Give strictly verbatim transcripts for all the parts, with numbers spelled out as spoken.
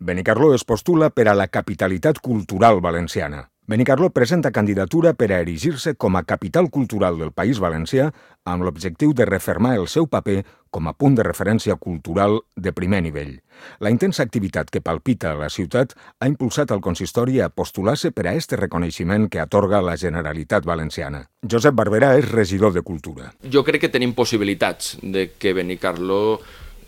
Benicarló es postula per a la capitalitat cultural valenciana. Benicarló presenta candidatura per a erigir-se com a capital cultural del País Valencià amb l'objectiu de refermar el seu paper com a punt de referència cultural de primer nivell. La intensa activitat que palpita a la ciutat ha impulsat el consistori a postular-se per a este reconeixement que atorga la Generalitat Valenciana. Josep Barberà és regidor de Cultura. Jo crec que tenim possibilitats de que Benicarló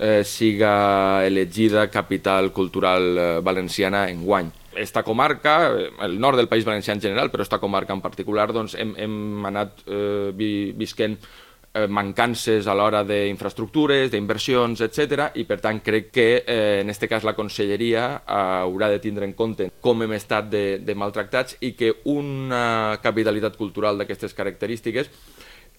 eh, siga elegida capital cultural eh, valenciana enguany. Esta comarca, el nord del País Valencià en general, però esta comarca en particular, doncs hem, hem anat eh, vi, visquent eh, mancances a l'hora d'infraestructures, d'inversions, etcètera, i per tant crec que eh, en aquest cas la Conselleria eh, haurà de tindre en compte com hem estat de, de maltractats i que una capitalitat cultural d'aquestes característiques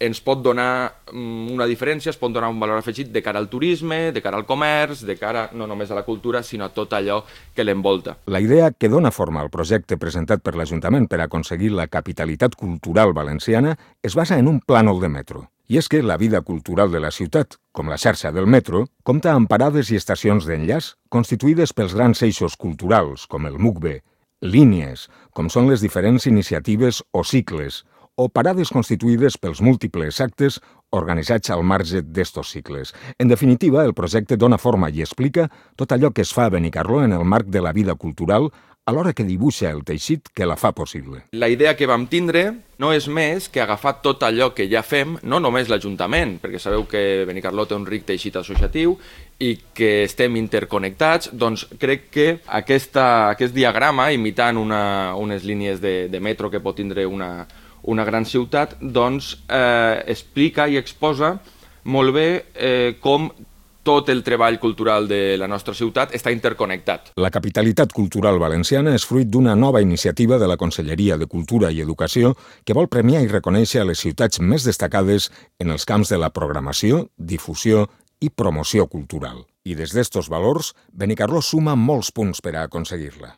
ens pot donar una diferència, es pot donar un valor afegit de cara al turisme, de cara al comerç, de cara no només a la cultura, sinó a tot allò que l'envolta. La idea que dona forma al projecte presentat per l'Ajuntament per aconseguir la capitalitat cultural valenciana es basa en un plànol de metro. I és que la vida cultural de la ciutat, com la xarxa del metro, compta amb parades i estacions d'enllaç constituïdes pels grans eixos culturals, com el MUCBE, línies, com són les diferents iniciatives o cicles, o parades constituïdes pels múltiples actes organitzats al marge d'estos cicles. En definitiva, el projecte dona forma i explica tot allò que es fa a Benicarló en el marc de la vida cultural, alhora que dibuixa el teixit que la fa possible. La idea que vam tindre no és més que agafar tot allò que ja fem, no només l'Ajuntament, perquè sabeu que Benicarló té un ric teixit associatiu i que estem interconnectats, doncs crec que aquesta, aquest diagrama, imitant una, unes línies de, de metro que pot tindre una, una gran ciutat, doncs eh, explica i exposa molt bé eh, com tot el treball cultural de la nostra ciutat està interconnectat. La capitalitat cultural valenciana és fruit d'una nova iniciativa de la Conselleria de Cultura i Educació que vol premiar i reconèixer a les ciutats més destacades en els camps de la programació, difusió i promoció cultural. I des d'estos valors, Benicarló suma molts punts per a aconseguir-la.